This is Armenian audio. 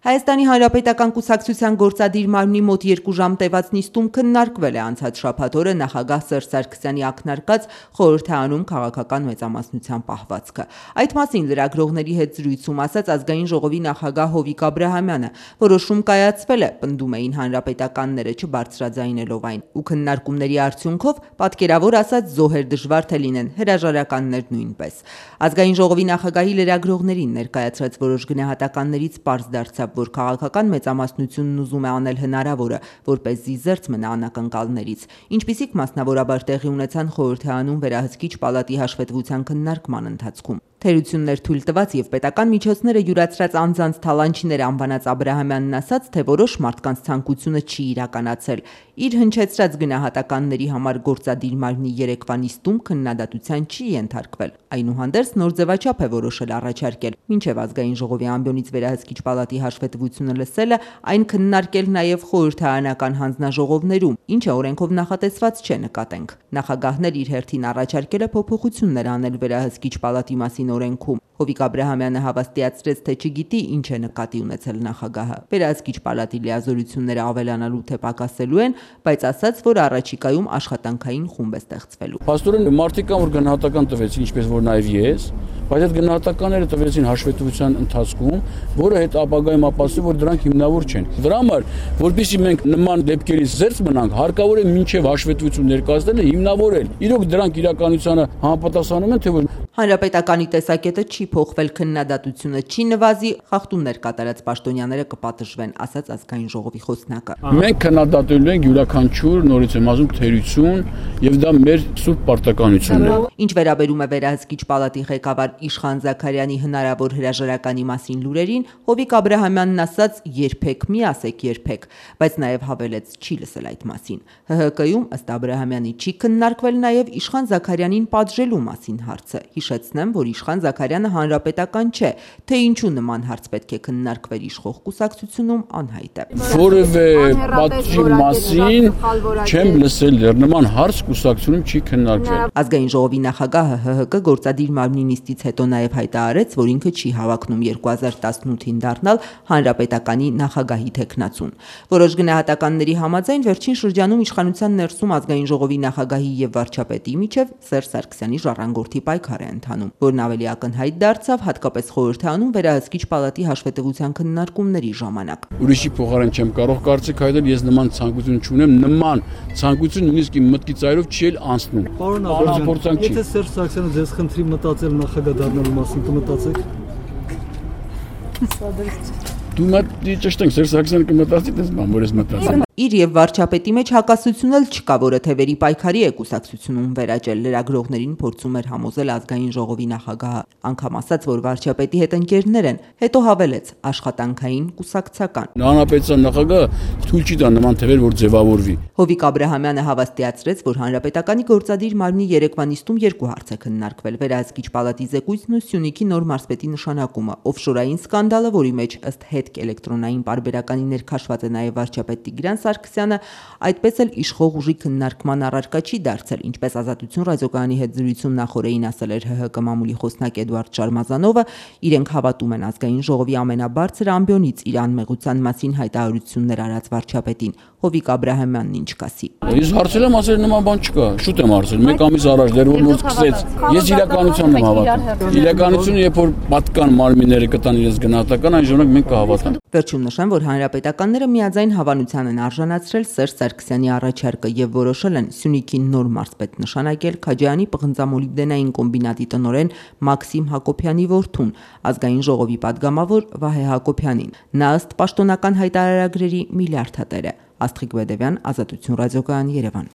Հայաստանի Հանրապետական կուսակցության գործադիր մարմնի մոտ 2 ժամ տևած նիստում քննարկվել է անցած շաբաթ օրը նախագահ Սերժ Սարգսյանի ակնարկած խորհրդարանում քաղաքական մեծամասնության պահվածքը։ Այդ մասին լրագրողների հետ զրույցում ասաց ազգային ժողովի նախագահ Հովիկ Աբրահամյանը, որոշում կայացվել է, պնդում էին հանրապետականները չբարձրաձայնելով այն, ու քննարկումների արդյունքով պատկերավոր ասած զոհեր դժվար թե լինեն, հրաժարականներ նույնպես։ Ազգային ժողովի նախագահի լրագրողներին ներկայացրած որոշ գնահատականներից պարզ դարձավ, որ քաղաքական մեծամասնությունն ուզում է անել հնարավորը, որպեսզի զերծ մնա անակնկալներից, ինչպիսիք մասնավորաբար տեղի ունեցան խորհրդարանում վերահսկիչ պալատի հաշվետվության քննարկման ընթացքում։ Թերություններ թույլ տված եւ պետական միջոցները յուրացրած անձանց թալանչիներ անվանած Աբրահամյանն ասաց, թե որոշ մարդկանց ցանկությունը չի իրականացել։ Իր հնչեցրած գնահատականների համար գործադիր մարմնի երեկվա նիստում քննադատության չի ենթարկվել։ Այնուհանդերձ նոր ձևաչափ է որոշել առաջարկել, մինչև ազգային ժողովի ամբիոնից վերահսկիչ պալատի հաշվետվությունը լսելը, այն քննարկել նաև խորհրդարանական հանձնաժողովներում, ինչը օրենքով նախատեսված չէ, նկատենք։ Նախագահն իր հերթին առաջարկել է փոփոխություններ անել վերահսկիչ պալատի մասին օրենքում։ Հովիկ Աբրահամյանը հավաստիացրեց, թե չգիտի ինչ է նկատի ունեցել նախագահը։ Վերահսկիչ պալատի լիազորությունները ավելանալու թե պակասելու են, բայց ասաց, որ առաջիկայում աշխատանքային խումբ է ստեղծվելու։ Փաստորեն մարդիկ կան, որ գնահատական տվեցին, ինչպես որ նաև ես, բայց այդ գնահատականները տվեցին հաշվետվության ընթացքում, որը հետ ապագայում ապացուցի, որ դրանք հիմնավոր չեն։ Դրա համար, որպեսզի մենք նման դեպքերից զերծ մնանք, հարկավոր է մինչև հաշվետվություն ներկայացնելը հիմնավորել։ Իրոք դրանք իրականությանը համապատասխանում են, թե ոչ։ Հանրապետականի տեսակետը չի փոխվել, քննադատությունը չի նվազի, խախտումներ կատարած պաշտոնյաները կպատժվեն, ասաց ազգային ժողովի խոսնակը։ Մենք քննադատելու ենք յուրաքանչյուր, նորից եմ ասում, թերություն, եւ դա մեր սուրբ պարտականությունն է։ Ինչ վերաբերում է վերահսկիչ պալատի ղեկավար Իշխան Զաքարյանի հնարավոր հրաժարականի մասին լուրերին, Հովիկ Աբրահամյանն ասաց, երբեք մի ասեք երբեք, բայց նաև հավելեց, չի լսել այդ մասին։ ՀՀԿ-ում ըստ Աբրահամյանի չի քննարկվել նաև Իշխան Զաքարյանին պատժելու մասին հարցը։ Հիշեցնեմ, որ Իշխան Զաքարյանը հանրապետական չէ, թե ինչու նման հարց պետք է քննարկվեր իշխող կուսակցությունում անհայտ է։ Որևէ պատժի մասին չեմ լսել, դեռ նման հարց կուսակցությունում չի քննարկվել։ Ազգային ժողովի նախագահը ՀՀԿ գործադիր մարմնի նիստից հետո նաև հայտարարեց, որ ինքը չի հավակնում 2018-ին դառնալ հանրապետականի նախագահի թեկնածուն։ Որոշ գնահատականների համաձայն վերջին շրջանում իշխանության ներսում ազգային ժողովի նախագահի եւ վարչապետի միջև Սերժ Սարգսյանի ժառանգորդի պայքար է ընթանում, որն ավելի ակնհայտ դարձավ հատկապես խորհրդարանում վերահսկիչ պալատի հաշվետվության քննարկումների ժամանակ։ Ուրիշի փոխարեն չեմ կարող կարծիք հայտնել, ես նման ցանկություն չունեմ, նման ցանկություն նույնիսկ իմ մտքի ծայրով չի էլ անցնում։ Պարոն Աբրահամյան, եթե Սերժ Սարգսյանը ձեզ խնդրի մտածել նախագահ դառնալու մասին, կմտածեք։ Դու մտի ճիշտ ենք, Սերժ Սարգսյանը կմտածի, դες բան, որ ես մտածեմ։ Իր եւ վարչապետի մեջ հակասություն էլ չկա, որը թևերի պայքարի է կուսակցությունում վերաճել, լրագրողներին փորձում էր համոզել ազգային ժողովի նախագահը, անգամ ասաց, որ վարչապետի հետ ընկերներ են, հետո հավելեց աշխատանքային կուսակցական։ Հանրապետության նախագահը թույլ չի տա նման թևեր որ ձևավորվի։ Հովիկ Աբրահամյանը հավաստիացրեց, որ հանրապետականի գործադիր մարմնի երեկվա նիստում 2 հարց է քննարկվել՝ վերահսկիչ պալատի զեկույցն ու Սյունիքի նոր մարզպետի նշանակումը, օֆշորային սկանդալը, որի մեջ ըստ հետք էլեկտրոնային պարբերականի ներքաշված է նաև վարչապետ Տիգրան Սարգսյանը, այդպես էլ իշխող ուժի քննարկման առարկա չի դարձել, ինչպես Ազատություն ռադիոկայանի հետ զրույցում նախորդին ասել էր ՀՀԿ մամուլի խոսնակ Էդուարդ Շարմազանովը, իրենք հավատում են ազգային ժողովի ամենաբարձր ամբիոնից իր անմեղության մասին հայտարարություններ արած վարչապետին։ Հովիկ Աբրահամյանն ինչ կասի։ Ես հարցել եմ, ասել նման բան չկա, շուտ եմ հարցել, 1 ամիս առաջ դեռ որ նոր սկսեց։ Ես իրականությանն եմ հավատում։ Իրականությունը, երբ որ պատկան մարմինները կտան իրենց գնահատական, այն ժամանակ մենք կհավատանք։ Վերջում նշեմ, որ հանրապետականները միաձայն հավանության են արժանացրել Սերժ Սարգսյանի առաջարկը եւ որոշել են Սյունիքի նոր մարզպետ նշանակել Քաջարյանի պղնձամոլիբդենային կոմբինատի տնօրեն Մաքսիմ Հակոբյանի որդուն, ազգային ժողովի падգամավոր Վահե Հակոբյանին։ Նա ըստ պաշտոնական հայտարարագրերի միլիարդատեր է։ Աստղիկ Բեդևյան, Ազատություն ռադիոկայան, Երևան։